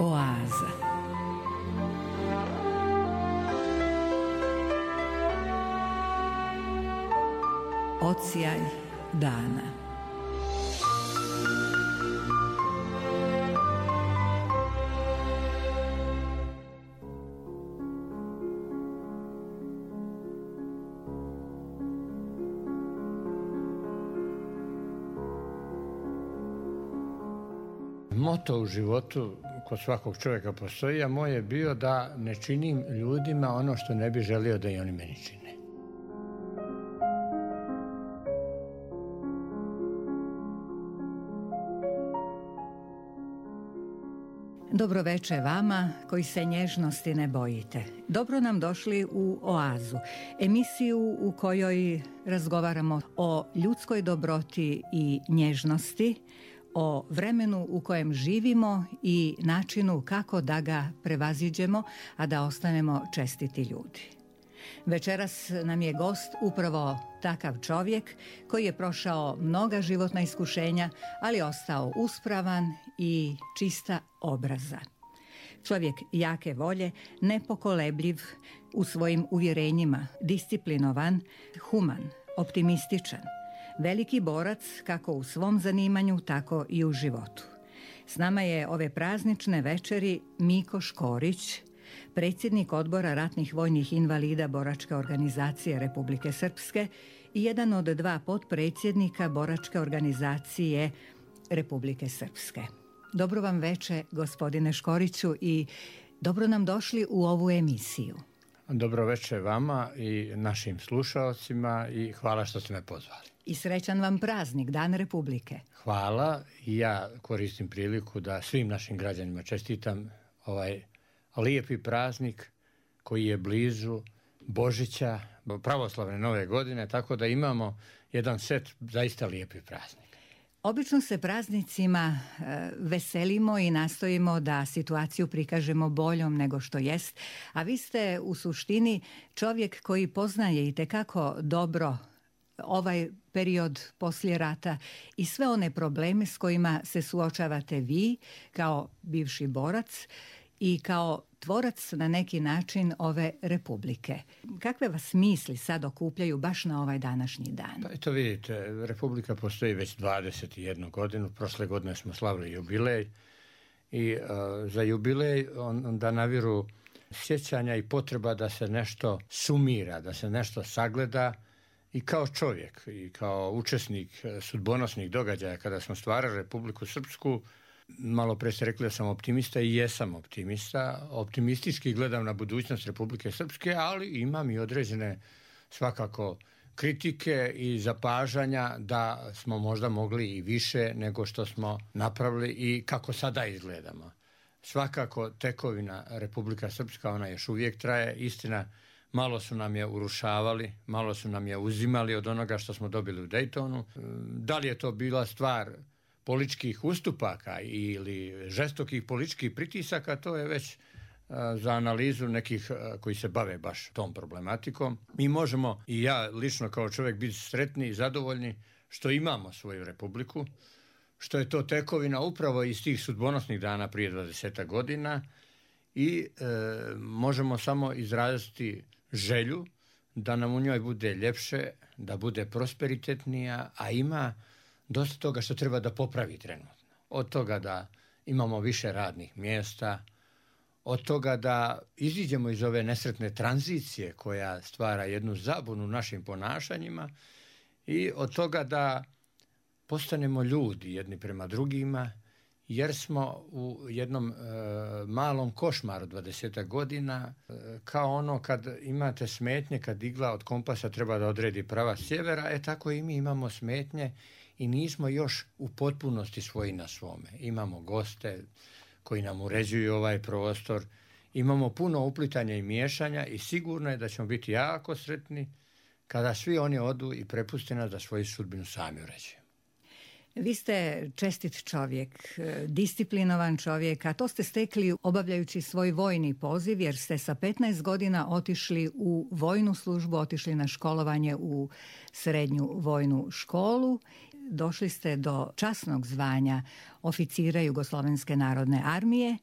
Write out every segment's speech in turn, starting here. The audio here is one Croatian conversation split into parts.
Oaza. Odsjaj dana. Moto u životu kod svakog čovjeka postoji, a moj je bio da ne činim ljudima ono što ne bi želio da i oni meni čine. Dobro veče vama koji se nježnosti ne bojite. Dobro nam došli u Oazu, emisiju u kojoj razgovaramo o ljudskoj dobroti i nježnosti, o vremenu u kojem živimo i načinu kako da ga prevaziđemo, a da ostanemo čestiti ljudi. Večeras nam je gost upravo takav čovjek koji je prošao mnoga životna iskušenja, ali ostao uspravan i čista obraza. Čovjek jake volje, nepokolebljiv u svojim uvjerenjima, disciplinovan, human, optimističan. Veliki borac kako u svom zanimanju, tako i u životu. S nama je ove praznične večeri Miko Škorić, predsjednik Odbora ratnih vojnih invalida Boračke organizacije Republike Srpske i jedan od dva potpredsjednika Boračke organizacije Republike Srpske. Dobro vam veče, gospodine Škoriću, i dobro nam došli u ovu emisiju. Dobro veče vama i našim slušalcima i hvala što ste me pozvali. I srećan vam praznik, Dan Republike. Hvala i ja koristim priliku da svim našim građanima čestitam ovaj lijepi praznik koji je blizu Božića, pravoslavne nove godine, tako da imamo jedan set zaista lijepih praznika. Obično se praznicima veselimo i nastojimo da situaciju prikažemo boljom nego što jest, a vi ste u suštini čovjek koji poznaje itekako dobro ovaj period poslije rata i sve one probleme s kojima se suočavate vi kao bivši borac i kao tvorac na neki način ove republike. Kakve vas misli sad okupljaju baš na ovaj današnji dan? Pa eto vidite, republika postoji već 21 godinu, prošle godine smo slavili jubilej i za jubilej onda naviru sjećanja i potreba da se nešto sumira, da se nešto sagleda i kao čovjek i kao učesnik sudbonosnih događaja kada smo stvarali Republiku Srpsku. Malo pre ste rekli da sam optimista i jesam optimista. Optimistički gledam na budućnost Republike Srpske, ali imam i određene svakako kritike i zapažanja da smo možda mogli i više nego što smo napravili i kako sada izgledamo. Svakako tekovina Republika Srpska, ona još uvijek traje, istina. Malo su nam je urušavali, malo su nam je uzimali od onoga što smo dobili u Daytonu. Da li je to bila stvar političkih ustupaka ili žestokih političkih pritisaka, to je već za analizu nekih koji se bave baš tom problematikom. Mi možemo, i ja lično kao čovjek, biti sretni i zadovoljni što imamo svoju republiku, što je to tekovina upravo iz tih sudbonosnih dana prije 20 godina i možemo samo izraziti želju da nam u njoj bude ljepše, da bude prosperitetnija, a ima dosta toga što treba da popravi trenutno. Od toga da imamo više radnih mjesta, od toga da iziđemo iz ove nesretne tranzicije koja stvara jednu zabunu našim ponašanjima i od toga da postanemo ljudi jedni prema drugima, jer smo u jednom malom košmaru 20 godina, kao ono kad imate smetnje, kad igla od kompasa treba da odredi pravac sjevera, tako i mi imamo smetnje i nismo još u potpunosti svoji na svome. Imamo goste koji nam uređuju ovaj prostor, imamo puno uplitanja i miješanja i sigurno je da ćemo biti jako sretni kada svi oni odu i prepuste nas da svoju sudbinu sami uređuju. Vi ste čestit čovjek, disciplinovan čovjek, a to ste stekli obavljajući svoj vojni poziv, jer ste sa 15 godina otišli u vojnu službu, otišli na školovanje u srednju vojnu školu. Došli ste do časnog zvanja oficira Jugoslovenske narodne armije,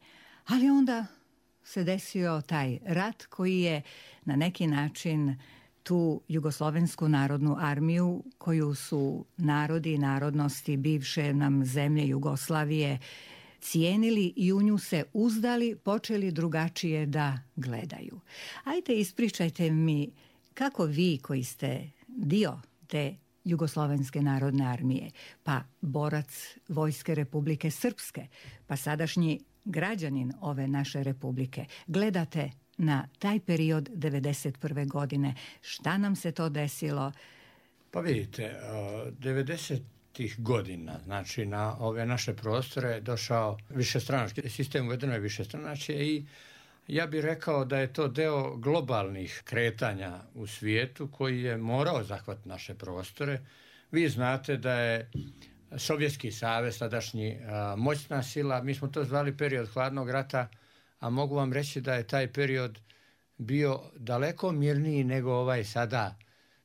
Ali onda se desio taj rat koji je na neki način tu Jugoslovensku narodnu armiju, koju su narodi i narodnosti bivše nam zemlje Jugoslavije cijenili i u nju se uzdali, počeli drugačije da gledaju. Ajde, ispričajte mi kako vi koji ste dio te Jugoslovenske narodne armije, pa borac Vojske Republike Srpske, pa sadašnji građanin ove naše republike, gledate na taj period 1991. godine. Šta nam se to desilo? Pa vidite, 90-ih godina, znači na ove naše prostore došao višestranački sistem, uvedeno je višestranačje i ja bih rekao da je to deo globalnih kretanja u svijetu koji je morao zahvatiti naše prostore. Vi znate da je Sovjetski savez, tadašnji moćna sila, mi smo to zvali period hladnog rata, a mogu vam reći da je taj period bio daleko mirniji nego ovaj sada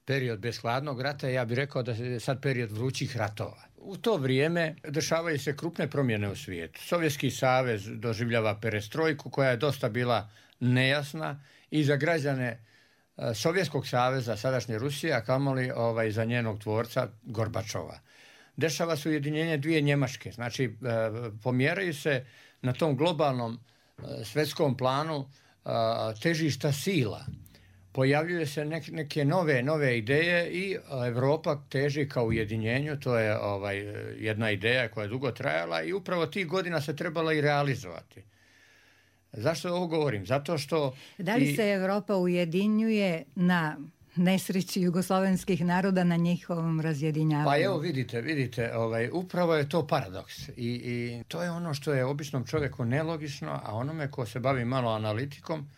period bez hladnog rata. Ja bih rekao da je sad period vrućih ratova. U to vrijeme dešavaju se krupne promjene u svijetu. Sovjetski savez doživljava perestrojku koja je dosta bila nejasna i za građane Sovjetskog saveza, sadašnje Rusije, a kamoli za njenog tvorca Gorbačova. Dešava se ujedinjenje dvije Njemačke. Znači, pomjeraju se na tom globalnom svjetskom planu težišta sila. Pojavljuju se neke nove ideje i Europa teži ka ujedinjenju. To je jedna ideja koja je dugo trajala i upravo tih godina se trebala i realizovati. Zašto ovo govorim? Zato što... Da li se Europa ujedinjuje na nesreći jugoslovenskih naroda, na njihovom razjedinjavanju? Pa evo vidite, upravo je to paradoks i to je ono što je običnom čovjeku nelogično, a onome ko se bavi malo analitikom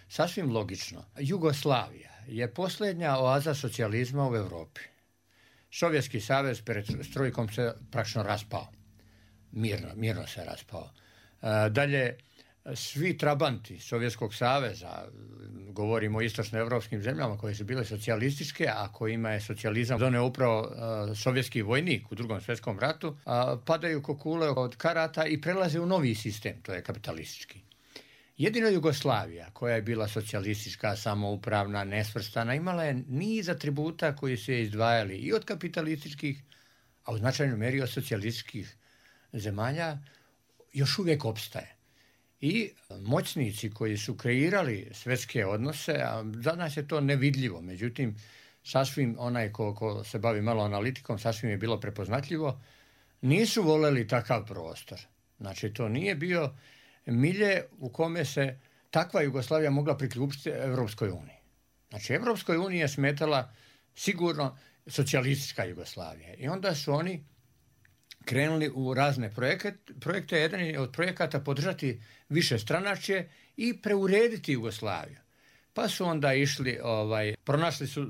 sasvim logično. Jugoslavija je posljednja oaza socijalizma u Europi. Sovjetski savez pred strojkom se praktično raspao. Mirno se raspao. Dalje, svi trabanti Sovjetskog saveza, govorimo o istočnoevropskim zemljama koje su bile socijalističke, a kojima je socijalizam doneo upravo sovjetski vojnik u Drugom svjetskom ratu, padaju ko kule od karata i prelaze u novi sistem, to je kapitalistički. Jedino Jugoslavija, koja je bila socijalistička, samoupravna, nesvrstana, imala je niz atributa koji su je izdvajali i od kapitalističkih, a u značajnoj meri od socijalističkih zemalja, još uvijek opstaje. I moćnici koji su kreirali svjetske odnose, a za nas je to nevidljivo, međutim, sasvim onaj ko se bavi malo analitikom, sasvim je bilo prepoznatljivo, nisu voljeli takav prostor. Znači, to nije bio milje u kome se takva Jugoslavija mogla priključiti Europskoj uniji. Znači, Europskoj uniji je smetala sigurno socijalistička Jugoslavija. I onda su oni krenuli u razne projekte. Jedan je od projekata podržati višestranačje i preurediti Jugoslaviju. Pa su onda išli, pronašli su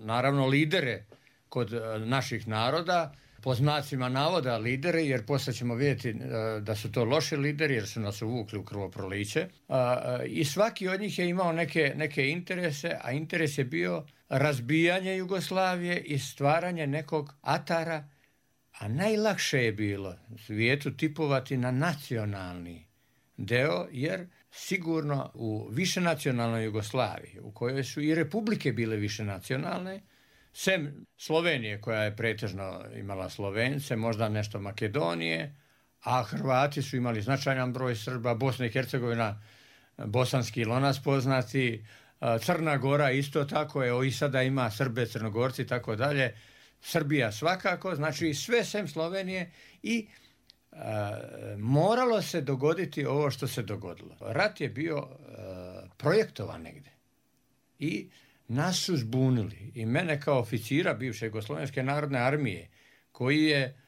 naravno lidere kod naših naroda, po znacima navoda lideri, jer poslije ćemo vidjeti da su to loši lideri, jer su nas uvukli u krvoproliće. I svaki od njih je imao neke interese, a interes je bio razbijanje Jugoslavije i stvaranje nekog atara, a najlakše je bilo svijetu tipovati na nacionalni deo, jer sigurno u višenacionalnoj Jugoslaviji, u kojoj su i republike bile višenacionalne, sem Slovenije koja je pretežno imala Slovence, možda nešto Makedonije, a Hrvati su imali značajan broj Srba, Bosna i Hercegovina, bosanski lonac poznati, Crna Gora isto tako, evo i sada ima Srbe, Crnogorci i tako dalje, Srbija svakako, znači sve sem Slovenije i moralo se dogoditi ovo što se dogodilo. Rat je bio projektovan negdje i nas su zbunili i mene kao oficira bivše Jugoslovenske narodne armije, koji je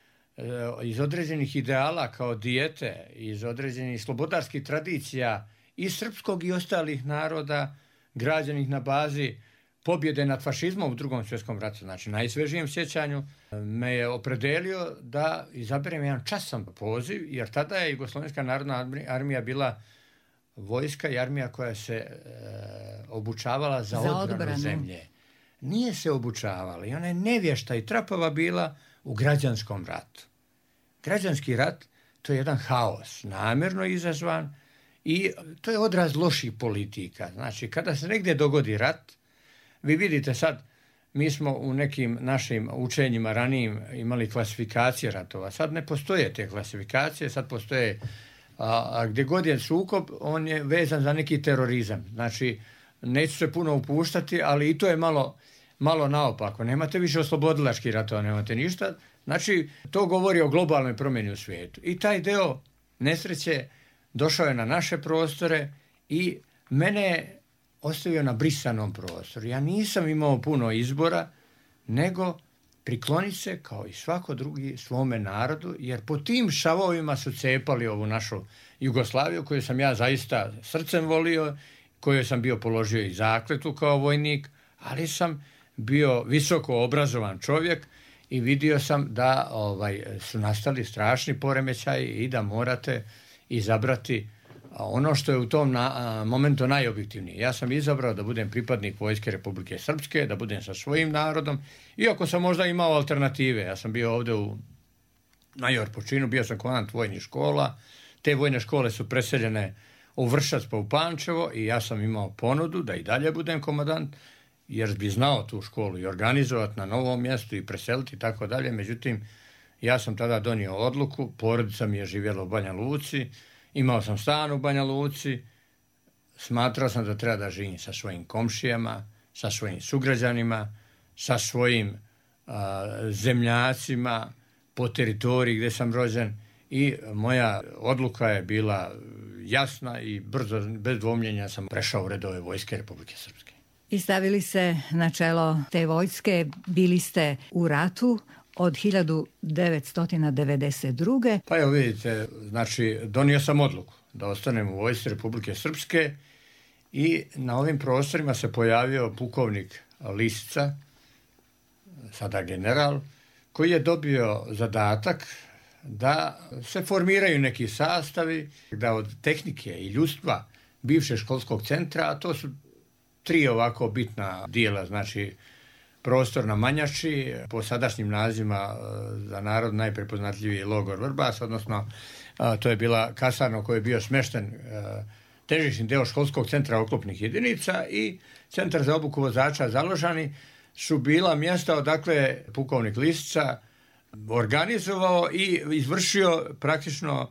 iz određenih ideala kao dijete, iz određenih slobodarskih tradicija i srpskog i ostalih naroda građenih na bazi pobjede nad fašizmom u Drugom svjetskom ratu, znači najsvežijem sjećanju, me je opredelio da izaberem jedan časan poziv, jer tada je Jugoslovenska narodna armija bila vojska i armija koja se obučavala za odbranu zemlje. Nije se obučavala i ona je nevješta i trapava bila u građanskom ratu. Građanski rat, to je jedan haos, namjerno izazvan i to je odraz loših politika. Znači, kada se negdje dogodi rat, vi vidite sad, mi smo u nekim našim učenjima ranijim imali klasifikacije ratova. Sad ne postoje te klasifikacije, sad postoje, a gdje god je sukob, on je vezan za neki terorizam. Znači, neću se puno upuštati, ali i to je malo naopako. Nemate više oslobodilačkih ratova, nemate ništa. Znači, to govori o globalnoj promjeni u svijetu. I taj deo nesreće došao je na naše prostore i mene je ostavio na brisanom prostoru. Ja nisam imao puno izbora, nego prikloniti se kao i svako drugi svome narodu, jer po tim šavovima su cepali ovu našu Jugoslaviju, koju sam ja zaista srcem volio, kojoj sam bio položio i zakletu kao vojnik, ali sam bio visoko obrazovan čovjek i vidio sam da su nastali strašni poremećaji i da morate izabrati ono što je u tom momentu najobjektivnije. Ja sam izabrao da budem pripadnik Vojske Republike Srpske, da budem sa svojim narodom, iako sam možda imao alternative. Ja sam bio ovdje u major po činu, bio sam komandant vojnih škola. Te vojne škole su preseljene u Vršac pa u Pančevo i ja sam imao ponudu da i dalje budem komandant, jer bi znao tu školu i organizovati na novom mjestu i preseliti i tako dalje. Međutim, ja sam tada donio odluku, porodica mi je živjela u Banja Luci, imao sam stan u Banja Luci, smatrao sam da treba da živim sa svojim komšijama, sa svojim sugrađanima, sa svojim zemljacima po teritoriji gdje sam rođen i moja odluka je bila jasna i brzo, bez dvomljenja sam prešao u redove Vojske Republike Srpske. I stavili se na čelo te vojske, bili ste u ratu od 1992. Pa evo vidite, znači donio sam odluku da ostanem u Vojsci Republike Srpske i na ovim prostorima se pojavio pukovnik Lisica, sada general, koji je dobio zadatak da se formiraju neki sastavi, da od tehnike i ljudstva bivšeg školskog centra, a to su 3 ovako bitna dijela, znači prostor na Manjači, po sadašnjim nazivima za narod najprepoznatljiviji je logor Vrbas, odnosno to je bila kasarna u kojoj je bio smješten težišni deo školskog centra oklopnih jedinica i centar za obuku vozača Založani su bila mjesta odakle pukovnik Lisica organizovao i izvršio praktično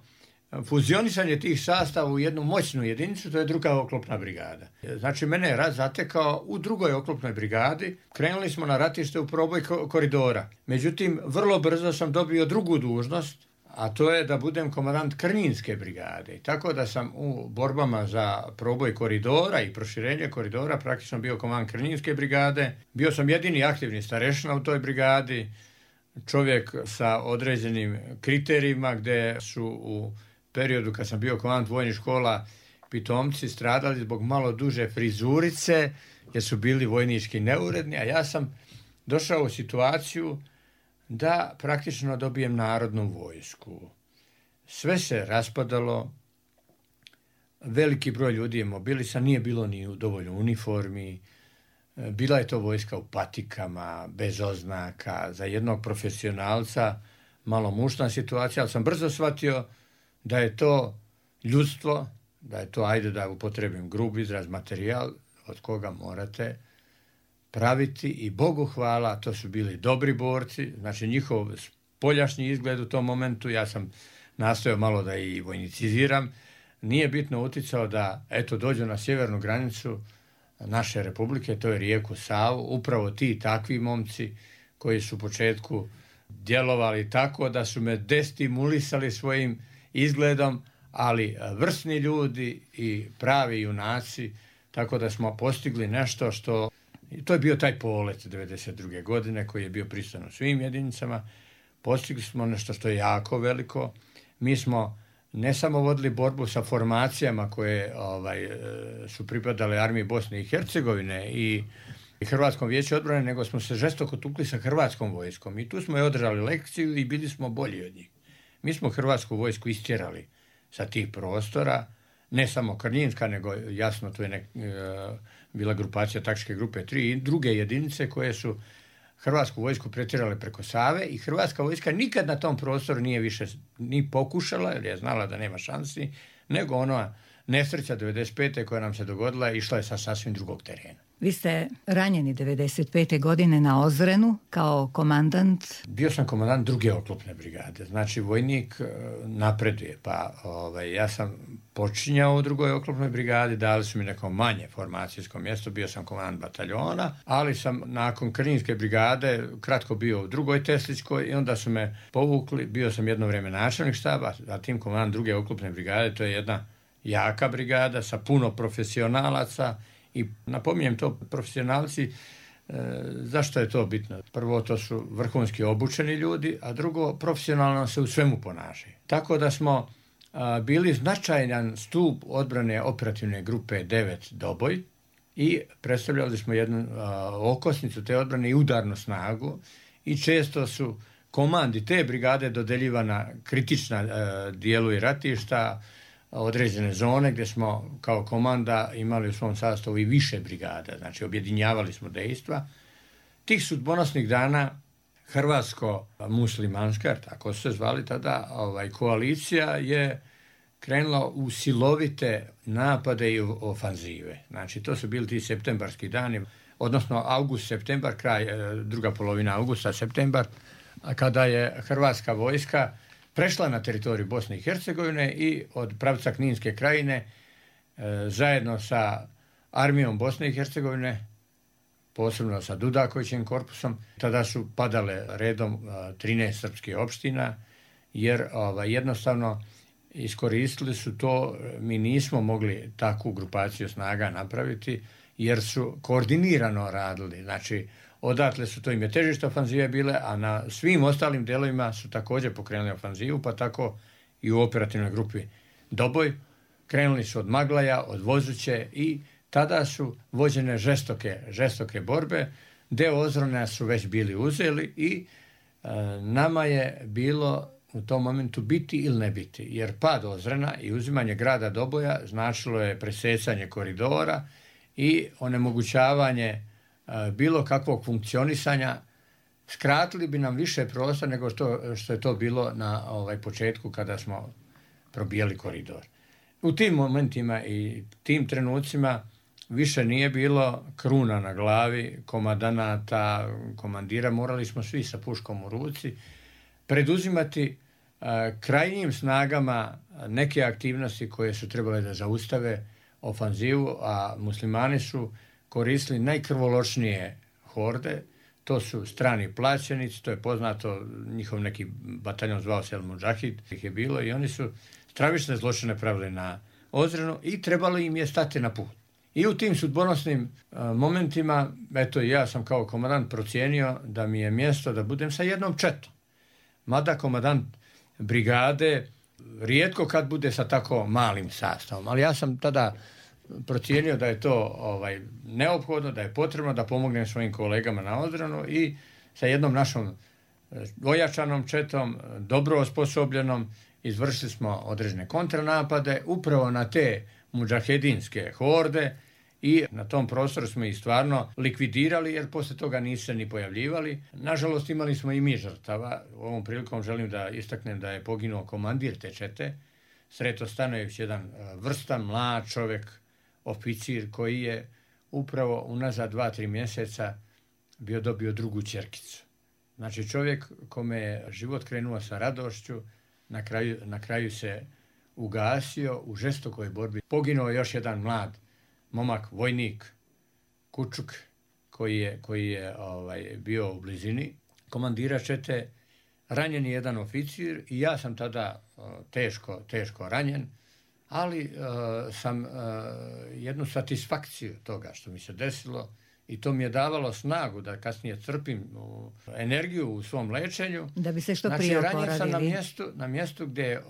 fuzionisanje tih sastava u jednu moćnu jedinicu, to je 2. oklopna brigada. Znači, mene je rat zatekao u 2. oklopnoj brigadi. Krenuli smo na ratište u proboj koridora. Međutim, vrlo brzo sam dobio drugu dužnost, a to je da budem komandant Krnjinske brigade. I tako da sam u borbama za proboj koridora i proširenje koridora praktično bio komandant Krnjinske brigade. Bio sam jedini aktivni starešina u toj brigadi, čovjek sa određenim kriterijima gdje su u periodu kad sam bio komandant vojnih škola pitomci stradali zbog malo duže frizurice jer su bili vojnički neuredni, a ja sam došao u situaciju da praktično dobijem narodnu vojsku. Sve se raspadalo, veliki broj ljudi je mobilisan, nije bilo ni dovoljno uniformi, bila je to vojska u patikama, bez oznaka, za jednog profesionalca, malo mušna situacija, ali sam brzo shvatio da je to ljudstvo, da je to, ajde da upotrebim grub izraz, materijal od koga morate praviti i Bogu hvala, to su bili dobri borci, znači njihov spoljašnji izgled u tom momentu, ja sam nastojao malo da i vojniciziram, nije bitno uticao da, eto, dođu na sjevernu granicu naše republike, to je rijeku Savu, upravo ti takvi momci koji su u početku djelovali tako da su me destimulisali svojim izgledom, ali vrsni ljudi i pravi junaci, tako da smo postigli nešto što, to je bio taj polet 1992. godine koji je bio prisutan u svim jedinicama, postigli smo nešto što je jako veliko. Mi smo ne samo vodili borbu sa formacijama koje su pripadale armiji Bosne i Hercegovine i Hrvatskom vijeću odbrane, nego smo se žestoko tukli sa Hrvatskom vojskom i tu smo je održali lekciju i bili smo bolji od njih. Mi smo Hrvatsku vojsku istjerali sa tih prostora, ne samo Krnjinska, nego jasno tu je bila grupacija taktičke grupe 3 i druge jedinice koje su Hrvatsku vojsku pretjerale preko Save i Hrvatska vojska nikad na tom prostoru nije više ni pokušala, jer je znala da nema šansi, nego ona nesreća 95. koja nam se dogodila išla je sa sasvim drugog terena. Vi ste ranjeni 95. godine na Ozrenu kao komandant. Bio sam komandant druge oklopne brigade, znači vojnik napreduje, pa ja sam počinjao u drugoj oklopnoj brigadi, dali su mi neko manje formacijsko mjesto, bio sam komandant bataljona, ali sam nakon Kninske brigade kratko bio u drugoj Tesličkoj i onda su me povukli, bio sam jedno vrijeme načelnik štaba, zatim komandant druge oklopne brigade, to je jedna jaka brigada sa puno profesionalaca. I napominjem to profesionalci, zašto je to bitno? Prvo, to su vrhunski obučeni ljudi, a drugo, profesionalno se u svemu ponašaju. Tako da smo bili značajan stup odbrane operativne grupe 9 Doboj i predstavljali smo jednu okosnicu te odbrane i udarnu snagu i često su komandi te brigade dodeljivana kritična dijelu i ratišta, određene zone gdje smo kao komanda imali u svom sastavu i više brigada, znači objedinjavali smo dejstva. Tih sudbonosnih dana hrvatsko-muslimanska, tako su se zvali tada, koalicija je krenula u silovite napade i ofanzive. Znači to su bili ti septembarski dani, odnosno august-septembar, kraj, druga polovina augusta-septembar, kada je hrvatska vojska prešla na teritoriju Bosne i Hercegovine i od pravca Kninske krajine zajedno sa armijom Bosne i Hercegovine, posebno sa Dudakovićim korpusom, tada su padale redom 13 srpskih opština, jer jednostavno iskoristili su to, mi nismo mogli takvu grupaciju snaga napraviti, jer su koordinirano radili, znači odatle su, to im je težište ofanzive bile, a na svim ostalim delovima su također pokrenuli ofanzivu, pa tako i u operativnoj grupi Doboj. Krenuli su od Maglaja, od Vozuće i tada su vođene žestoke borbe. Deo Ozrena su već bili uzeli i nama je bilo u tom momentu biti ili ne biti, jer pad Ozrena i uzimanje grada Doboja značilo je presecanje koridora i onemogućavanje bilo kakvog funkcionisanja. Skratili bi nam više prostora nego što je to bilo na početku kada smo probijali koridor. U tim momentima i tim trenucima više nije bilo kruna na glavi, komandanata, komandira, morali smo svi sa puškom u ruci preduzimati krajnjim snagama neke aktivnosti koje su trebale da zaustave ofanzivu, a muslimani su koristili najkrvoločnije horde, to su strani plaćenici, to je poznato, njihov neki bataljon zvao se El Mudžahid, ih je bilo i oni su stravične zločine pravili na Ozrenu i trebalo im je stati na put. I u tim sudbonosnim momentima, eto ja sam kao komandant procijenio da mi je mjesto da budem sa jednom četom. Mada komandant brigade rijetko kad bude sa tako malim sastavom, ali ja sam tada procijenio da je to neophodno, da je potrebno da pomognem svojim kolegama na Ozrenu i sa jednom našom ojačanom četom, dobro osposobljenom, izvršili smo određene kontranapade upravo na te mudžahedinske horde i na tom prostoru smo ih stvarno likvidirali, jer poslije toga nisu se ni pojavljivali. Nažalost, imali smo i mi žrtava. Ovom prilikom želim da istaknem da je poginuo komandir te čete, Sreto Stanojević, jedan vrstan, mlad čovjek, oficir koji je upravo unazad 2-3 mjeseca dobio drugu ćerkicu. Znači čovjek kome je život krenuo sa radošću, na kraju se ugasio u žestokoj borbi. Poginuo je još jedan mlad momak, vojnik, Kučuk, koji je bio u blizini komandira čete, ranjen je jedan oficir i ja sam tada teško ranjen, ali sam jednu satisfakciju toga što mi se desilo i to mi je davalo snagu da kasnije crpim energiju u svom lečenju. Da bi se što prije oporavili. Ranjen sam na mjestu gdje je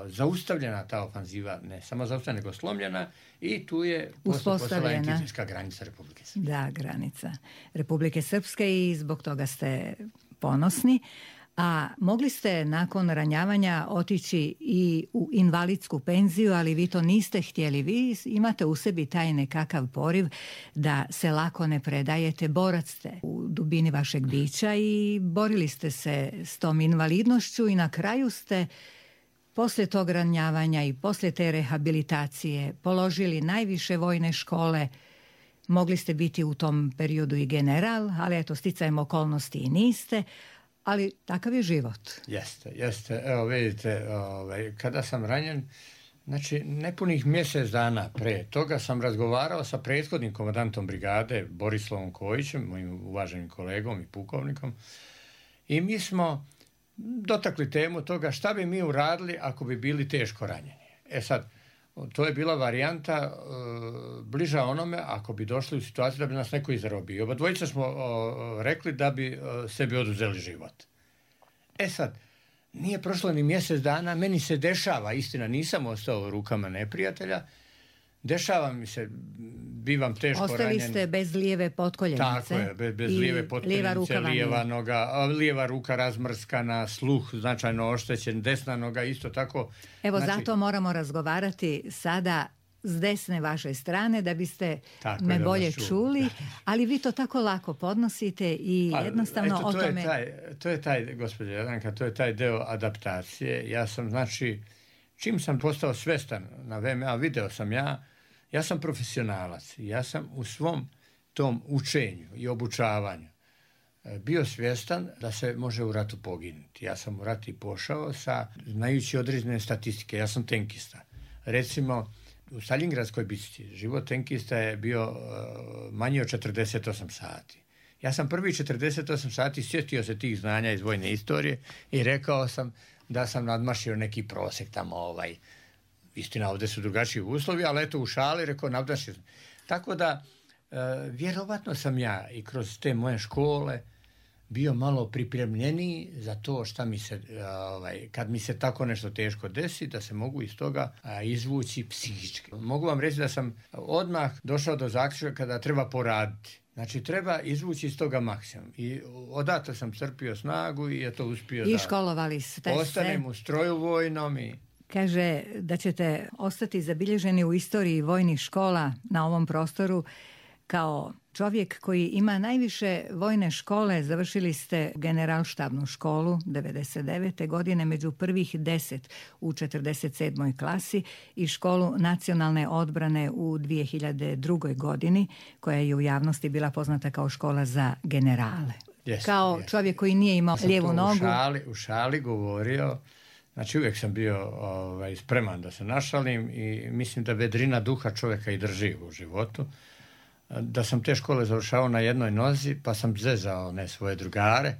zaustavljena ta ofanziva, ne samo zaustavljena, nego slomljena i tu je postala entitijska granica Republike Srpske. Da, granica Republike Srpske i zbog toga ste ponosni. A mogli ste nakon ranjavanja otići i u invalidsku penziju, ali vi to niste htjeli. Vi imate u sebi taj nekakav poriv da se lako ne predajete. Borac ste u dubini vašeg bića i borili ste se s tom invalidnošću i na kraju ste poslije tog ranjavanja i poslije te rehabilitacije položili najviše vojne škole. Mogli ste biti u tom periodu i general, ali eto, sticajem okolnosti i niste, ali takav je život. Jeste. Evo vidite, kada sam ranjen, znači nepunih mjesec dana pre toga sam razgovarao sa prethodnim komandantom brigade, Borislavom Kojićem, mojim uvaženim kolegom i pukovnikom, i mi smo dotakli temu toga šta bi mi uradili ako bi bili teško ranjeni. Sad, to je bila varijanta bliža onome ako bi došli u situaciju da bi nas neko izrobio. Oba dvojica smo rekli da bi sebi oduzeli život. Sad, nije prošlo ni mjesec dana, meni se dešava, istina nisam ostao u rukama neprijatelja, dešava mi se, bivam teško ranjen. Ostali ste bez lijeve potkoljenice. Tako je, bez lijeve potkoljenice, lijeva ruka razmrskana, sluh značajno oštećen, desna noga isto tako. Evo, zato moramo razgovarati sada s desne vaše strane da biste me bolje čuli, ali vi to tako lako podnosite i jednostavno o tome... To je taj, gospođa Jadranka, to je taj deo adaptacije. Ja sam, znači, čim sam postao svestan na VMA, video sam ja sam profesionalac. Ja sam u svom tom učenju i obučavanju bio svjestan da se može u ratu poginuti. Ja sam u rat i pošao znajući određene statistike. Ja sam tenkista. Recimo, u Staljingradskoj bici život tenkista je bio manji od 48 sati. Ja sam prvi 48 sati sjetio se tih znanja iz vojne istorije i rekao sam da sam nadmašio neki prosjek tamo. Istina, ovdje su drugačiji uslovi, ali eto u šali rekao nadmašio sam. Tako da, vjerovatno sam ja i kroz te moje škole bio malo pripremljeniji za to šta mi se, kad mi se tako nešto teško desi, da se mogu iz toga izvući psihički. Mogu vam reći da sam odmah došao do zaključka kada treba poraditi. Znači, treba izvući iz toga maksimum. I odatle sam crpio snagu i je to uspio i školovali ste ostanem u stroju vojnom i... Kaže da ćete ostati zabilježeni u istoriji vojnih škola na ovom prostoru kao čovjek koji ima najviše vojne škole. Završili ste generalštabnu školu 99. godine među prvih 10 u 47. klasi i školu nacionalne odbrane u 2002. godini, koja je u javnosti bila poznata kao škola za generale. Kao čovjek koji nije imao lijevu nogu. U šali govorio. Znači, uvijek sam bio spreman da se našalim i mislim da vedrina duha čovjeka i drži u životu. Da sam te škole završavao na jednoj nozi, pa sam zezao svoje drugare,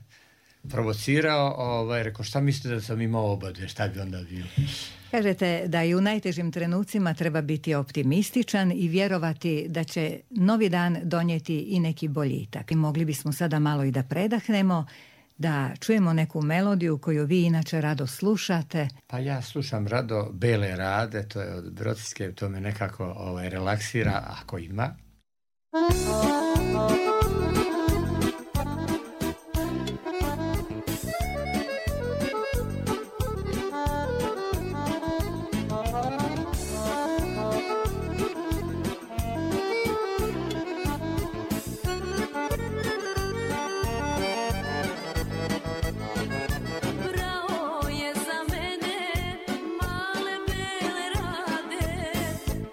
provocirao, rekao šta mislite da sam imao obade, šta bi onda bilo? Kažete da i u najtežim trenucima treba biti optimističan i vjerovati da će novi dan donijeti i neki boljitak. I mogli bismo sada malo i da predahnemo, da čujemo neku melodiju koju vi inače rado slušate. Pa ja slušam rado Bele rade, to je od Brodske, to me nekako relaksira ako ima.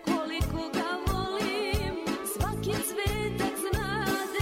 Koliko ga volim, svaki cvetak znade.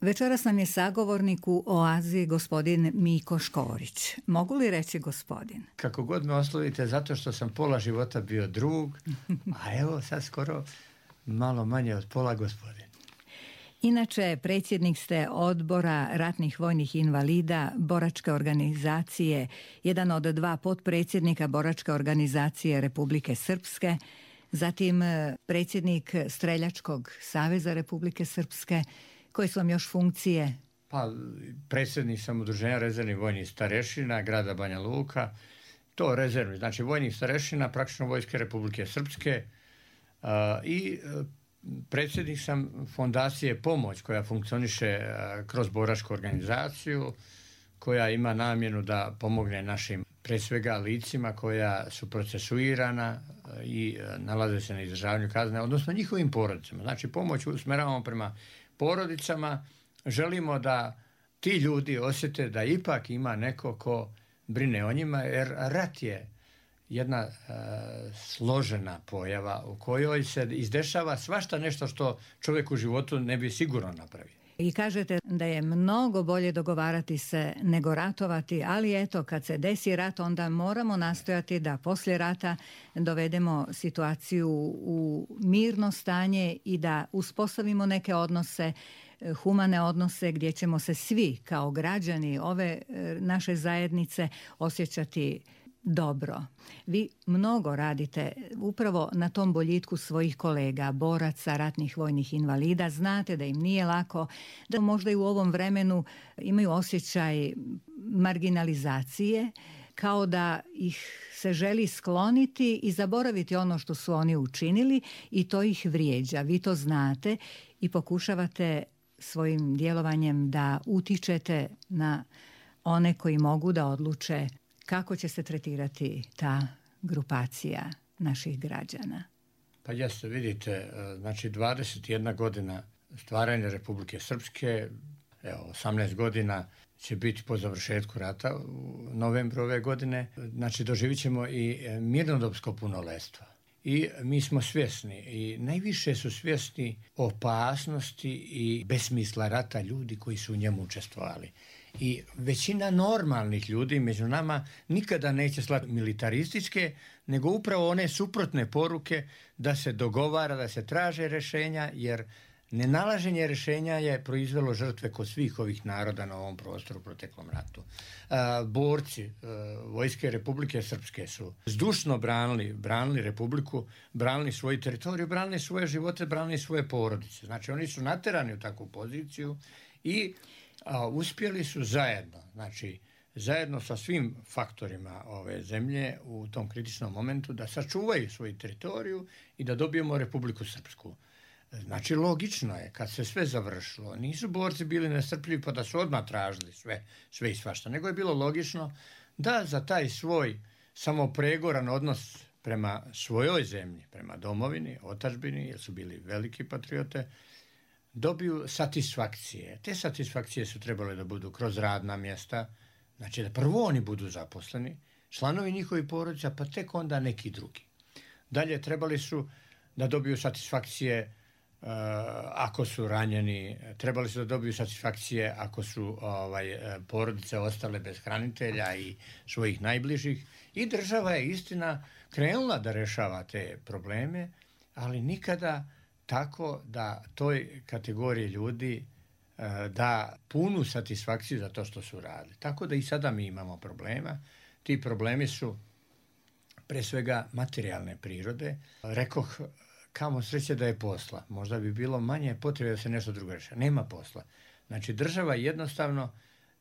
Večeras nam je sagovornik u Oazi gospodin Miko Škorić. Mogu li reći gospodin? Kako god me oslovite, zato što sam pola života bio drug, a evo sad skoro malo manje od pola gospodin. Inače, predsjednik ste odbora ratnih vojnih invalida Boračke organizacije, jedan od 2 potpredsjednika Boračke organizacije Republike Srpske, zatim predsjednik Streljačkog saveza Republike Srpske. Koje su vam još funkcije? Pa, predsjednik sam Udruženja rezervnih vojnih starešina grada Banja Luka. To rezervni, znači vojnih starešina, praktično Vojske Republike Srpske i predsjednik sam fondacije Pomoć koja funkcioniše kroz Boračku organizaciju, koja ima namjenu da pomogne našim, pre svega, licima koja su procesuirana i nalaze se na izdržavanju kazne, odnosno njihovim porodicama. Znači, pomoć usmjeravamo prema porodicama, želimo da ti ljudi osjete da ipak ima neko ko brine o njima, jer rat je jedna složena pojava u kojoj se izdešava svašta nešto što čovjek u životu ne bi sigurno napravio. I kažete da je mnogo bolje dogovarati se nego ratovati, ali eto, kad se desi rat, onda moramo nastojati da poslije rata dovedemo situaciju u mirno stanje i da uspostavimo neke odnose, humane odnose gdje ćemo se svi kao građani ove naše zajednice osjećati dobro. Vi mnogo radite upravo na tom boljitku svojih kolega, boraca, ratnih vojnih invalida. Znate da im nije lako, da možda i u ovom vremenu imaju osjećaj marginalizacije, kao da ih se želi skloniti i zaboraviti ono što su oni učinili i to ih vrijeđa. Vi to znate i pokušavate svojim djelovanjem da utičete na one koji mogu da odluče kako će se tretirati ta grupacija naših građana. Pa jeste, vidite, znači 21 godina stvaranja Republike Srpske, evo 18 godina će biti po završetku rata u novembru ove godine. Znači doživit ćemo i mirnodopsko punoletstvo. I mi smo svjesni i najviše su svjesni opasnosti i besmisla rata ljudi koji su u njemu učestvovali. I većina normalnih ljudi među nama nikada neće slati militarističke, nego upravo one suprotne poruke da se dogovara, da se traže rješenja, jer nenalaženje rješenja je proizvelo žrtve kod svih ovih naroda na ovom prostoru u proteklom ratu. Borci Vojske Republike Srpske su zdušno branili Republiku, branili svoju teritoriju, branili svoje živote, branili svoje porodice. Znači oni su naterani u takvu poziciju i uspjeli su zajedno sa svim faktorima ove zemlje u tom kritičnom momentu da sačuvaju svoju teritoriju i da dobijemo Republiku Srpsku. Znači, logično je, kad se sve završilo, nisu borci bili nestrpljivi pa da su odmah tražili sve i svašta, nego je bilo logično da za taj svoj samopregoran odnos prema svojoj zemlji, prema domovini, otadžbini, jer su bili veliki patriote, dobiju satisfakcije. Te satisfakcije su trebale da budu kroz radna mjesta, znači da prvo oni budu zaposleni, članovi njihovih porodica, pa tek onda neki drugi. Dalje trebali su da dobiju satisfakcije ako su ranjeni, trebali su da dobiju satisfakcije ako su porodice ostale bez hranitelja i svojih najbližih. I država je, istina, krenula da rešava te probleme, ali nikada tako da toj kategoriji ljudi da punu satisfakciju za to što su radili. Tako da i sada mi imamo problema. Ti problemi su pre svega materijalne prirode. Rekoh, kamo sreće da je posla. Možda bi bilo manje potrebe da se nešto drugo reši. Nema posla. Znači država jednostavno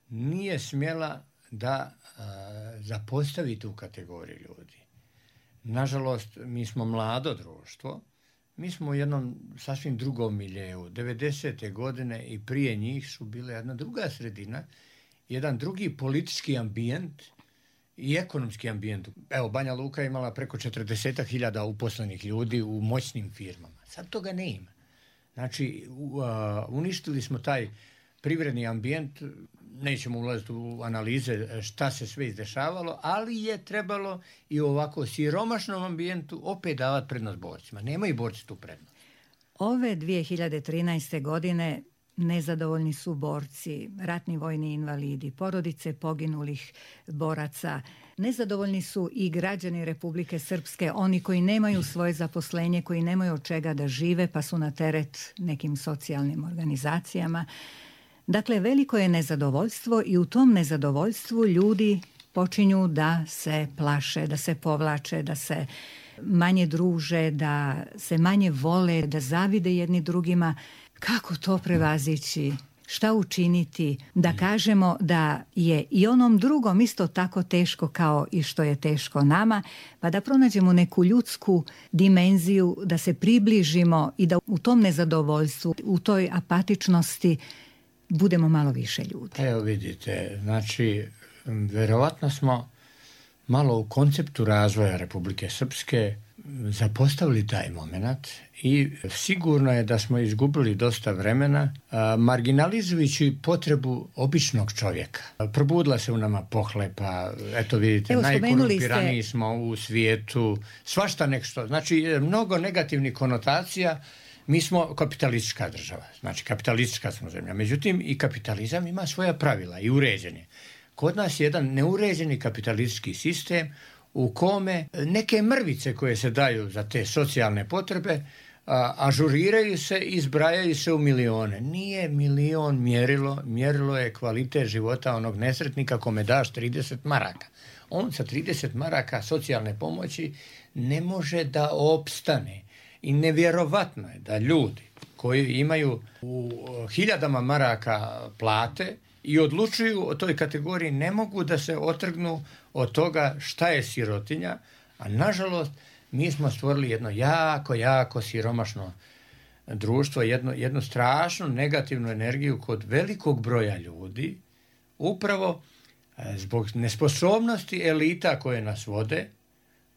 nije smjela da zapostavi tu kategoriju ljudi. Nažalost, mi smo mlado društvo. Mi smo u jednom sasvim drugom miljeu. 90. godine i prije njih su bile jedna druga sredina, jedan drugi politički ambijent i ekonomski ambijent. Evo, Banja Luka je imala preko 40.000 uposlenih ljudi u moćnim firmama. Sad toga ne ima. Znači, uništili smo taj privredni ambijent, nećemo ulaziti u analize šta se sve izdešavalo, ali je trebalo i u ovako siromašnom ambijentu opet davati prednost borcima. Nemaju borci tu prednost. Ove 2013. godine nezadovoljni su borci, ratni vojni invalidi, porodice poginulih boraca. Nezadovoljni su i građani Republike Srpske, oni koji nemaju svoje zaposlenje, koji nemaju od čega da žive, pa su na teret nekim socijalnim organizacijama. Dakle, veliko je nezadovoljstvo i u tom nezadovoljstvu ljudi počinju da se plaše, da se povlače, da se manje druže, da se manje vole, da zavide jedni drugima. Kako to prevazići? Šta učiniti da kažemo da je i onom drugom isto tako teško kao i što je teško nama, pa da pronađemo neku ljudsku dimenziju, da se približimo i da u tom nezadovoljstvu, u toj apatičnosti budemo malo više ljudi. Evo vidite, znači, verovatno smo malo u konceptu razvoja Republike Srpske zapostavili taj moment i sigurno je da smo izgubili dosta vremena marginalizujući potrebu običnog čovjeka. Probudila se u nama pohlepa, eto vidite, najkorumpiraniji smo u svijetu, svašta nešto, znači mnogo negativnih konotacija. Mi smo kapitalistička država, znači kapitalistička smo zemlja, međutim i kapitalizam ima svoja pravila i uređenje. Kod nas je jedan neuređeni kapitalistički sistem u kome neke mrvice koje se daju za te socijalne potrebe ažuriraju se i zbrajaju se u milione. Nije milion mjerilo je kvalitet života onog nesretnika kome daš 30 maraka. On sa 30 maraka socijalne pomoći ne može da opstane. I nevjerovatno je da ljudi koji imaju u hiljadama maraka plate i odlučuju o toj kategoriji ne mogu da se otrgnu od toga šta je sirotinja, a nažalost mi smo stvorili jedno jako siromašno društvo, jednu strašnu negativnu energiju kod velikog broja ljudi, upravo zbog nesposobnosti elita koje nas vode.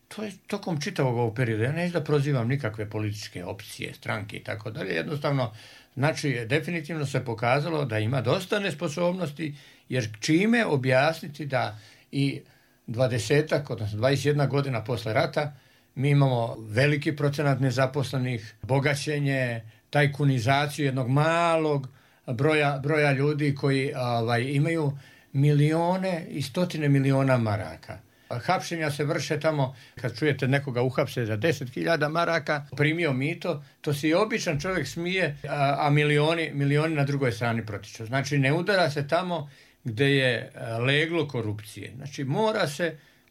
To je tokom čitavog ovog perioda. Ja neću da prozivam nikakve političke opcije, stranke i tako dalje. Jednostavno, znači, definitivno se pokazalo da ima dosta nesposobnosti, jer čime objasniti da i 20, odnosno 21 godina posle rata mi imamo veliki procenat nezaposlenih, bogaćenje, tajkunizaciju jednog malog broja ljudi koji imaju milione i stotine miliona maraka. Hapšenja se vrše tamo, kad čujete nekoga uhapse za 10.000 maraka, primio mito, to se i običan čovjek smije, a milioni na drugoj strani protiču. Znači, ne udara se tamo gdje je leglo korupcije. Znači,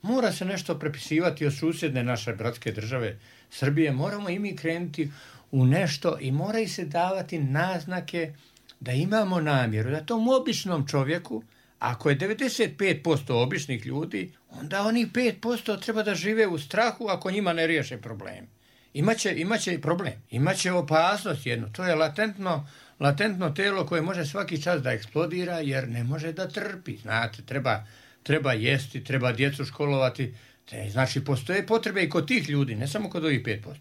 mora se nešto prepisivati od susjedne naše bratske države Srbije. Moramo i mi krenuti u nešto i moraju se davati naznake da imamo namjeru, da tom običnom čovjeku, ako je 95% običnih ljudi, onda oni 5% treba da žive u strahu ako njima ne riješe problem. Imaće i problem, imaće opasnost jednu. To je latentno telo koje može svaki čas da eksplodira jer ne može da trpi. Znate, treba jesti, treba djecu školovati. Znači, postoje potrebe i kod tih ljudi, ne samo kod ovih 5%.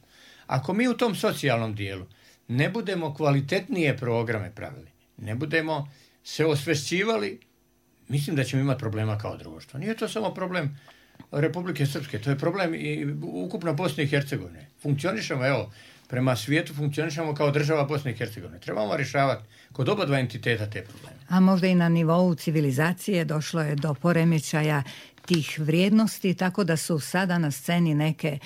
Ako mi u tom socijalnom dijelu ne budemo kvalitetnije programe pravili, ne budemo se osvešćivali, mislim da ćemo imati problema kao društvo. Nije to samo problem Republike Srpske, to je problem i ukupno Bosne i Hercegovine. Funkcionišemo, prema svijetu funkcionišemo kao država Bosne i Hercegovine. Trebamo rješavati kod oba dva entiteta te probleme. A možda i na nivou civilizacije došlo je do poremećaja tih vrijednosti, tako da su sada na sceni neke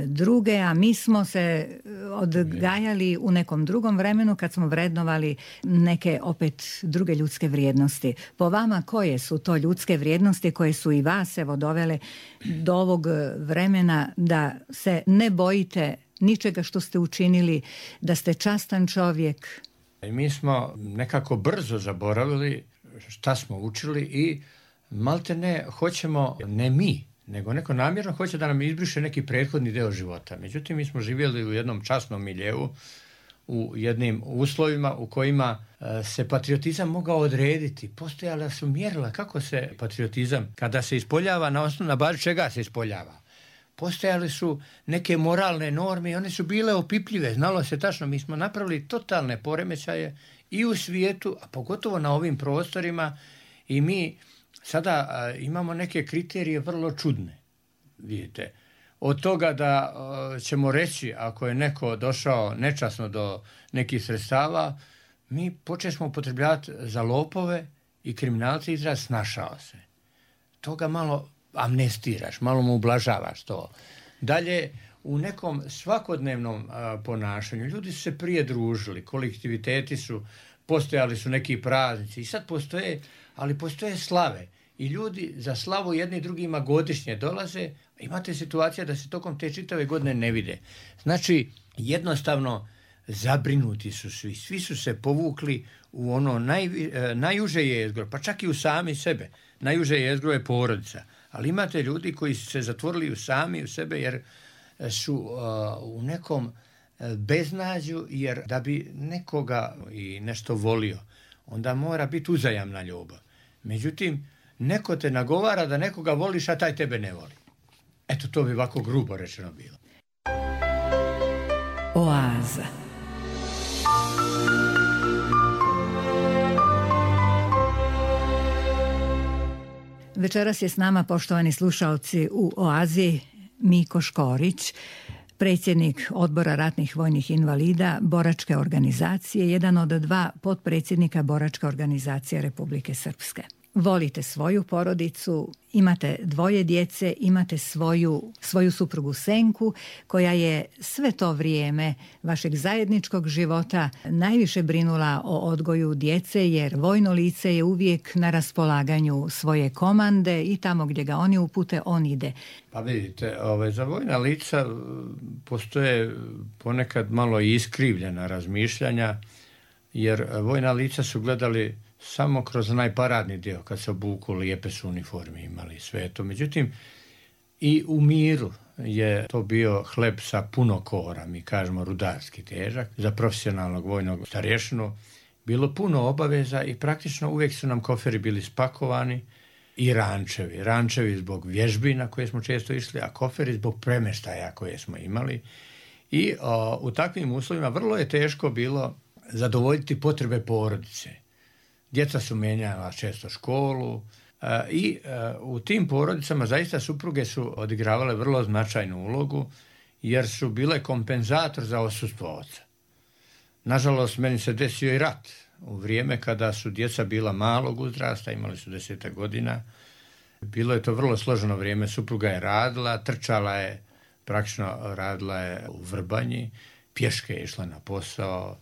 druge, a mi smo se odgajali u nekom drugom vremenu kad smo vrednovali neke opet druge ljudske vrijednosti. Po vama, koje su to ljudske vrijednosti koje su i vas dovele do ovog vremena da se ne bojite ničega što ste učinili, da ste častan čovjek? Mi smo nekako brzo zaboravili šta smo učili i maltene hoćemo, ne mi, nego neko namjerno hoće da nam izbriše neki prethodni deo života. Međutim, mi smo živjeli u jednom časnom miljeu, u jednim uslovima u kojima se patriotizam mogao odrediti. Postojala su mjerila kako se patriotizam, kada se ispoljava, na bazi čega se ispoljava. Postojali su neke moralne norme i one su bile opipljive. Znalo se tačno, mi smo napravili totalne poremećaje i u svijetu, a pogotovo na ovim prostorima, i mi sada imamo neke kriterije vrlo čudne, vidite. Od toga da ćemo reći, ako je neko došao nečasno do nekih sredstava, mi počeli upotrebljavati za lopove i kriminalce izraz snašao se. Toga malo amnestiraš, malo mu ublažavaš to. Dalje, u nekom svakodnevnom ponašanju ljudi su se prije družili, kolektiviteti su, postojali su neki praznici i sad postoje, ali postoje slave. I ljudi za slavu jedni drugima godišnje dolaze, a imate situacija da se tokom te čitave godine ne vide. Znači, jednostavno zabrinuti su svi su se povukli u ono najuže jezgro, pa čak i u sami sebe. Najuže jezgro je porodica. Ali imate ljudi koji su se zatvorili sami u sebe jer su u nekom beznađu, jer da bi nekoga i nešto volio, onda mora biti uzajamna ljubav. Međutim, neko te nagovara da nekoga voliš, a taj tebe ne voli. Eto, to bi ovako grubo rečeno bilo. Oaza. Večeras je s nama, poštovani slušaoci, u Oazi Miko Škorić, predsjednik Odbora ratnih vojnih invalida Boračke organizacije, jedan od 2 potpredsjednika Boračke organizacije Republike Srpske. Volite svoju porodicu, imate 2 djece, imate svoju suprugu Senku, koja je sve to vrijeme vašeg zajedničkog života najviše brinula o odgoju djece, jer vojno lice je uvijek na raspolaganju svoje komande i tamo gdje ga oni upute, on ide. Pa vidite, za vojna lica postoje ponekad malo iskrivljena razmišljanja, jer vojna lica su gledali samo kroz onaj paradni dio, kad se obuku, lijepe su uniforme imali, sve to. Međutim, i u miru je to bio hleb sa puno kora, mi kažemo rudarski težak, za profesionalnog vojnog starješinu. Bilo puno obaveza i praktično uvijek su nam koferi bili spakovani i rančevi. Rančevi zbog vježbi na koje smo često išli, a koferi zbog premještaja koje smo imali. I u takvim uslovima vrlo je teško bilo zadovoljiti potrebe porodice. Djeca su mijenjala često školu i u tim porodicama zaista supruge su odigravale vrlo značajnu ulogu, jer su bile kompenzator za odsustvo oca. Nažalost, meni se desio i rat u vrijeme kada su djeca bila malog uzrasta, imali su 10 godina. Bilo je to vrlo složeno vrijeme, supruga je radila, trčala je, praktično radila je u Vrbanji, pješke je išla na posao,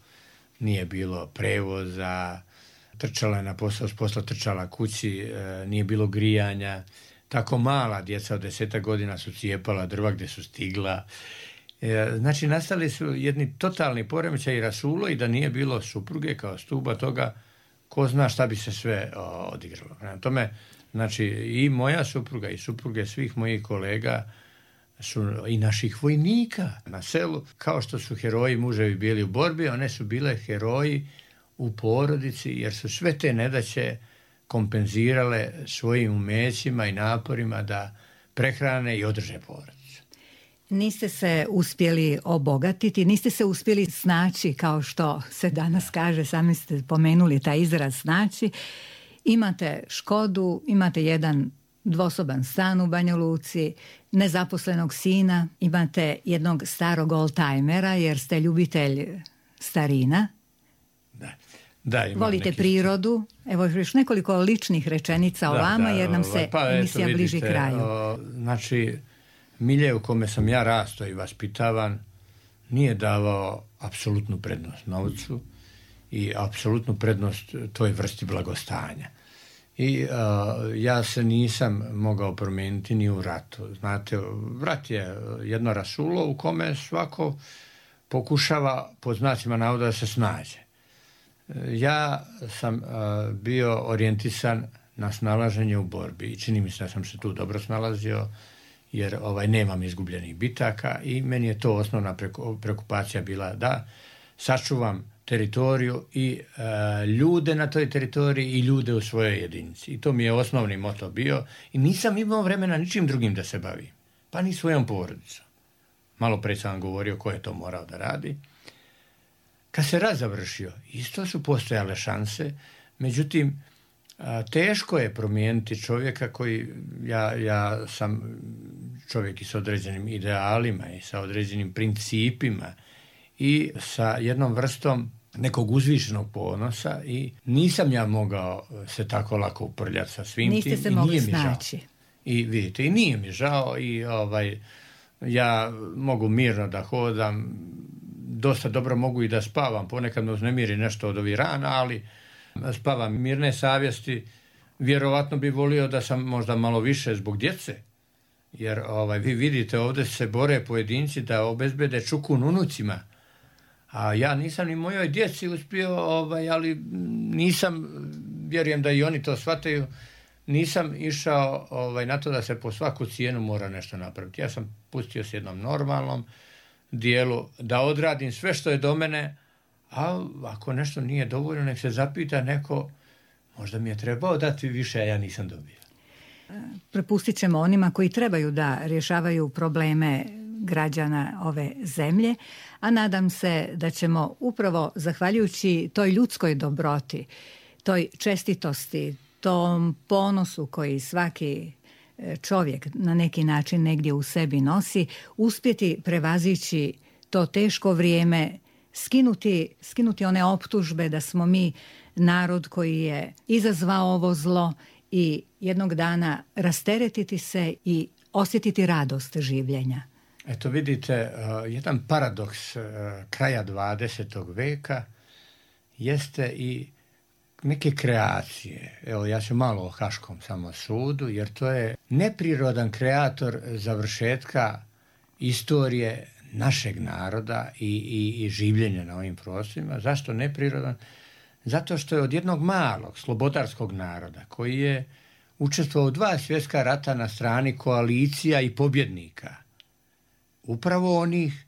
nije bilo prevoza, trčala je na posao, s posla trčala kući, nije bilo grijanja. Tako mala djeca od 10 godina su cijepala drva gdje su stigla. Znači, nastali su jedni totalni poremećaj i rasulo, i da nije bilo supruge kao stuba toga, ko zna šta bi se sve odigralo. Prema tome, znači, i moja supruga i supruge svih mojih kolega su i naših vojnika na selu, kao što su heroji muževi bili u borbi, one su bile heroji u porodici, jer su sve te nedaće kompenzirale svojim umećima i naporima da prehrane i održe porodicu. Niste se uspjeli obogatiti, niste se uspjeli snaći, kao što se danas kaže, sami ste pomenuli taj izraz snaći. Imate Škodu, imate jedan 2-soban stan u Banja Luci, nezaposlenog sina, imate jednog starog oldtimera jer ste ljubitelj starina. Da, volite prirodu. Evo još nekoliko ličnih rečenica o vama, jer nam se emisija bliži kraju. Znači, milje u kome sam ja rastao i vaspitavan nije davao apsolutnu prednost novcu i apsolutnu prednost toj vrsti blagostanja. I ja se nisam mogao promijeniti ni u ratu. Znate, rat je jedno rasulo u kome svako pokušava, pod znacima navoda, da se snađe. Ja sam bio orijentisan na snalaženje u borbi i čini mi se da sam se tu dobro snalazio, jer nemam izgubljenih bitaka i meni je to osnovna preokupacija bila da sačuvam teritoriju i ljude na toj teritoriji i ljude u svojoj jedinici. I to mi je osnovni moto bio i nisam imao vremena ničim drugim da se bavim, pa ni svojom porodicom. Malo pre sam vam govorio ko je to morao da radi. Kad se rat završio, isto su postojale šanse, međutim, teško je promijeniti čovjeka koji, ja sam čovjek i sa određenim idealima i sa određenim principima i sa jednom vrstom nekog uzvišenog ponosa i nisam ja mogao se tako lako uprljati sa svim tim. Niste se mogli snaći. I vidite, i nije mi žao i ja mogu mirno da hodam, dosta dobro mogu i da spavam, ponekad me uznemiri nešto od ovih rana, ali spavam mirne savjesti. Vjerovatno bi volio da sam možda malo više zbog djece, jer vi vidite ovdje se bore pojedinci da obezbede čukun unucima, a ja nisam ni mojoj djeci uspio, ali nisam, vjerujem da i oni to shvataju, nisam išao na to da se po svaku cijenu mora nešto napraviti. Ja sam pustio s jednom normalnom dijelu da odradim sve što je do mene, a ako nešto nije dovoljno, nek se zapita neko, možda mi je trebao dati više, a ja nisam dobio. Prepustit ćemo onima koji trebaju da rješavaju probleme građana ove zemlje, a nadam se da ćemo upravo zahvaljujući toj ljudskoj dobroti, toj čestitosti, tom ponosu koji svaki čovjek na neki način negdje u sebi nosi, uspjeti prevazići to teško vrijeme, skinuti one optužbe da smo mi narod koji je izazvao ovo zlo i jednog dana rasteretiti se i osjetiti radost življenja. Eto vidite, jedan paradoks kraja 20. veka jeste i neke kreacije. Evo, ja ću malo o Haškom samo sudu, jer to je neprirodan kreator završetka istorije našeg naroda i življenja na ovim prostorima. Zašto neprirodan? Zato što je od jednog malog slobodarskog naroda koji je učestvovao u 2 svjetska rata na strani koalicija i pobjednika, upravo onih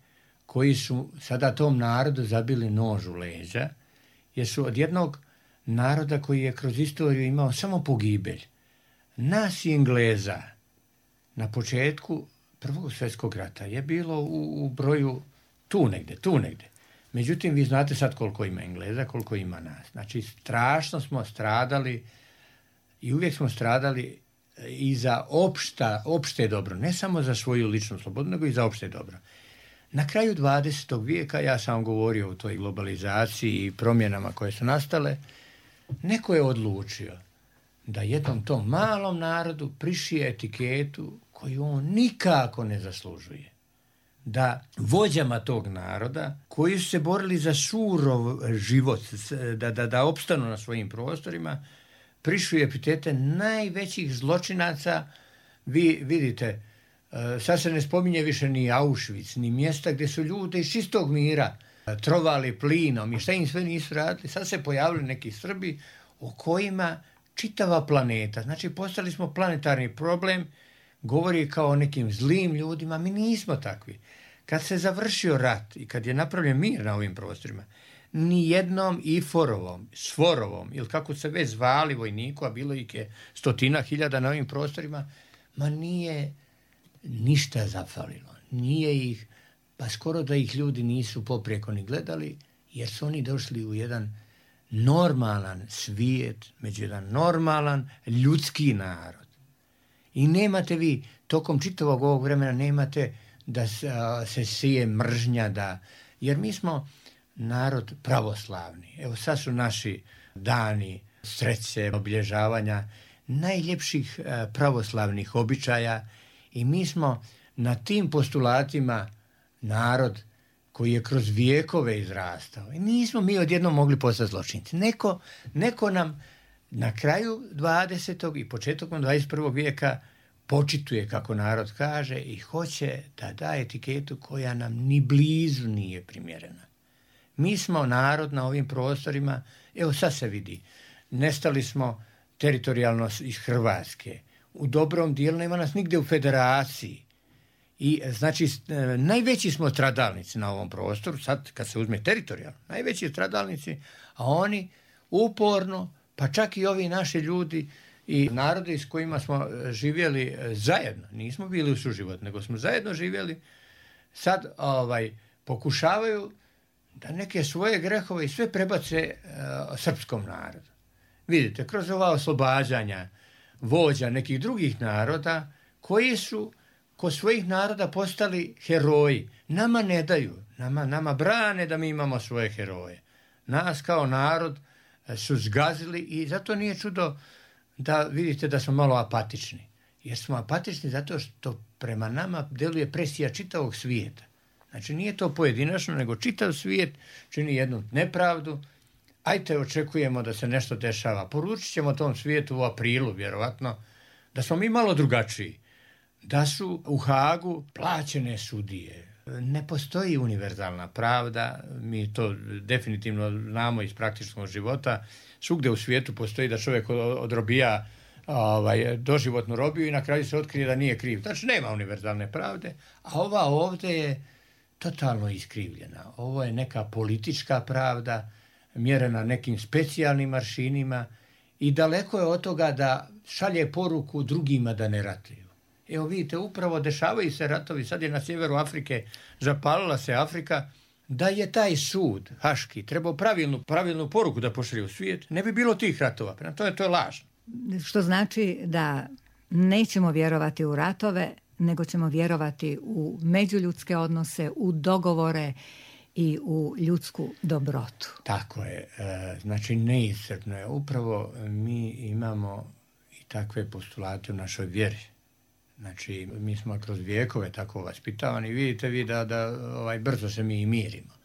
koji su sada tom narodu zabili nož u leđa, jer su od jednog naroda koji je kroz istoriju imao samo pogibelj. Nas i Engleza na početku Prvog svjetskog rata je bilo u broju tu negdje. Međutim, vi znate sad koliko ima Engleza, koliko ima nas. Znači, strašno smo stradali i uvijek smo stradali i za opšte dobro, ne samo za svoju ličnu slobodu, nego i za opšte dobro. Na kraju 20. vijeka, ja sam govorio o toj globalizaciji i promjenama koje su nastale, neko je odlučio da jednom tom malom narodu prišije etiketu koju on nikako ne zaslužuje. Da vođama tog naroda, koji su se borili za surov život, da opstanu na svojim prostorima, prišuje epitete najvećih zločinaca. Vi vidite, sad se ne spominje više ni Auschwitz, ni mjesta gdje su ljudi iz čistog mira trovali plinom i šta im sve nisu radili. Sad se pojavili neki Srbi o kojima čitava planeta, znači postali smo planetarni problem, govori kao o nekim zlim ljudima, mi nismo takvi. Kad se završio rat i kad je napravljen mir na ovim prostorima, ni jednom IFOR-ovom, SFOR-ovom, ili kako se već zvali vojniku, a bilo ih je 100.000 na ovim prostorima, ma nije ništa zafalilo. Nije ih, pa skoro da ih ljudi nisu poprijeko ni gledali, jer su oni došli u jedan normalan svijet, među jedan normalan ljudski narod. I nemate vi, tokom čitavog ovog vremena, nemate da se sije mržnja, jer mi smo narod pravoslavni. Evo sad su naši dani sreće, obilježavanja najljepših pravoslavnih običaja i mi smo na tim postulatima narod koji je kroz vijekove izrastao. I nismo mi odjednom mogli postati zločinci. Neko nam na kraju 20. i početkom 21. vijeka počituje, kako narod kaže, i hoće da da etiketu koja nam ni blizu nije primjerena. Mi smo narod na ovim prostorima, evo sad se vidi, nestali smo teritorijalno iz Hrvatske. U dobrom dijelu nema nas nigdje u federaciji. I znači najveći smo stradalnici na ovom prostoru, sad kad se uzme teritorijalno, najveći stradalnici, a oni uporno, pa čak i ovi naši ljudi i narodi s kojima smo živjeli zajedno, nismo bili u suživot, nego smo zajedno živjeli, sad pokušavaju da neke svoje grehove i sve prebace srpskom narodu. Vidite, kroz ova oslobađanja vođa nekih drugih naroda koji su kod svojih naroda postali heroji. Nama ne daju, nama brane da mi imamo svoje heroje. nas kao narod su zgazili i zato nije čudo da vidite da smo malo apatični. Jer smo apatični zato što prema nama djeluje presija čitavog svijeta. Znači nije to pojedinačno, nego čitav svijet čini jednu nepravdu. Ajte, očekujemo da se nešto dešava. Poručit ćemo tom svijetu u aprilu, vjerovatno, da smo mi malo drugačiji. Da su u Hagu plaćene sudije. Ne postoji univerzalna pravda, mi to definitivno znamo iz praktičnog života. Svugdje u svijetu postoji da čovjek odrobija doživotnu robiju i na kraju se otkrije da nije kriv. Znači nema univerzalne pravde, a ova ovdje je totalno iskrivljena. Ovo je neka politička pravda, mjerena nekim specijalnim aršinima i daleko je od toga da šalje poruku drugima da ne ratuju. Evo vidite, upravo dešavaju se ratovi, sad je na sjeveru Afrike, zapalila se Afrika, da je taj sud haški trebao pravilnu poruku da pošalje u svijet, ne bi bilo tih ratova. Prema to je lažno. Što znači da nećemo vjerovati u ratove, nego ćemo vjerovati u međuljudske odnose, u dogovore i u ljudsku dobrotu. Tako je. Znači neiscrpno je. Upravo mi imamo i takve postulate u našoj vjeri. Znači mi smo kroz vijekove tako vaspitavani. Vidite vi da brzo se mi i mirimo.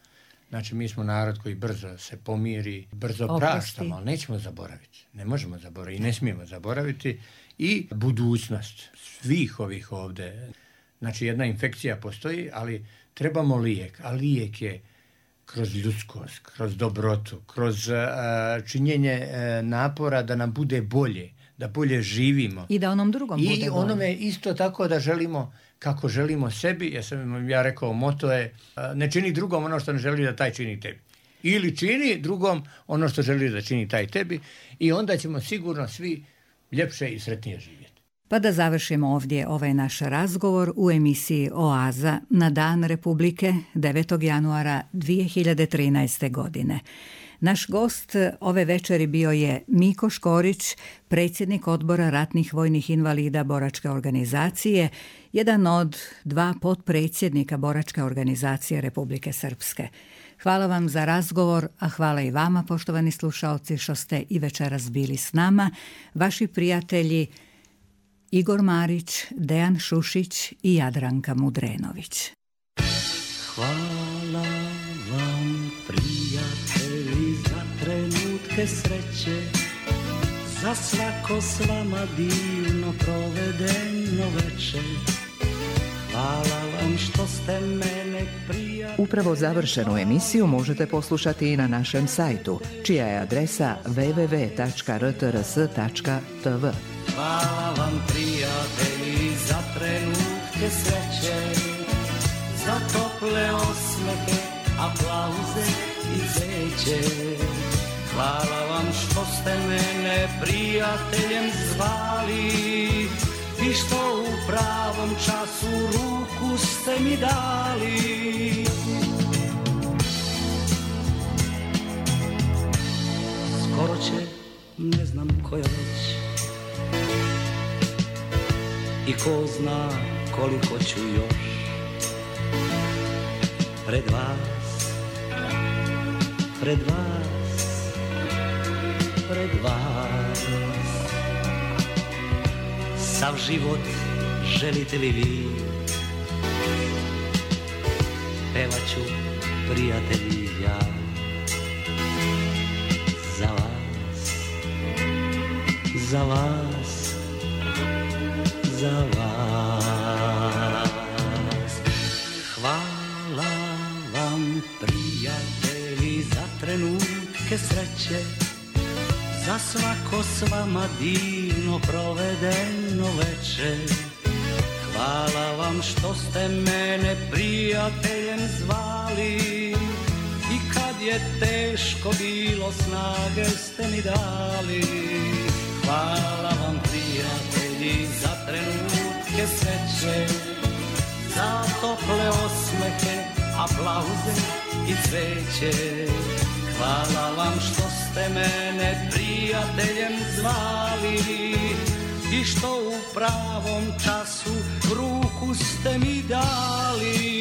Znači mi smo narod koji brzo se pomiri, brzo praštamo, ali nećemo zaboraviti. Ne možemo zaboraviti i ne smijemo zaboraviti. I budućnost svih ovih ovdje. Znači jedna infekcija postoji, ali trebamo lijek. A lijek je kroz ljudskost, kroz dobrotu, kroz činjenje napora da nam bude bolje, da bolje živimo. I da onom drugom bude bolje. I onome isto tako da želimo kako želimo sebi. Ja rekao, moto je ne čini drugom ono što ne želi da taj čini tebi. Ili čini drugom ono što želi da čini taj tebi i onda ćemo sigurno svi ljepše i sretnije živjeti. Pa da završimo ovdje ovaj naš razgovor u emisiji Oaza na Dan Republike 9. januara 2013. godine. Naš gost ove večeri bio je Miko Škorić, predsjednik Odbora ratnih vojnih invalida Boračke organizacije, jedan od 2 potpredsjednika Boračke organizacije Republike Srpske. Hvala vam za razgovor, a hvala i vama, poštovani slušaoci, što ste i večeras bili s nama. Vaši prijatelji Igor Marić, Dejan Šušić i Jadranka Mudrenović. Hvala vam, prijatelji, za trenutke sreće, za svako s vama divno provedeno večer. Hvala vam što ste mene prijatelji. Upravo završenu emisiju možete poslušati i na našem sajtu, čija je adresa www.rtrs.tv. Hvala vam, prijatelji, za trenutke sreće, za tople osmehe, aplauze i cveće. Hvala vam što ste mene prijateljem zvali i što u pravom času ruku ste mi dali. Skoro će, ne znam koja već, i ko zna koliko ću još pred vas, pred vas, pred vas. Sav život želite li vi, pevat ću, prijatelji, ja za vas, za vas, za vas. Hvala vam, prijatelji, za trenutke sreće, za svako s vama divno provedeno večer. Hvala vam što ste mene prijateljem zvali i kad je teško bilo, snage ste mi dali. Hvala vam, prijatelji, za trenutke sreće, za tople osmehe, aplauze i cveće. Hvala vam što ste mene prijateljem zvali i što u pravom času ruku ste mi dali.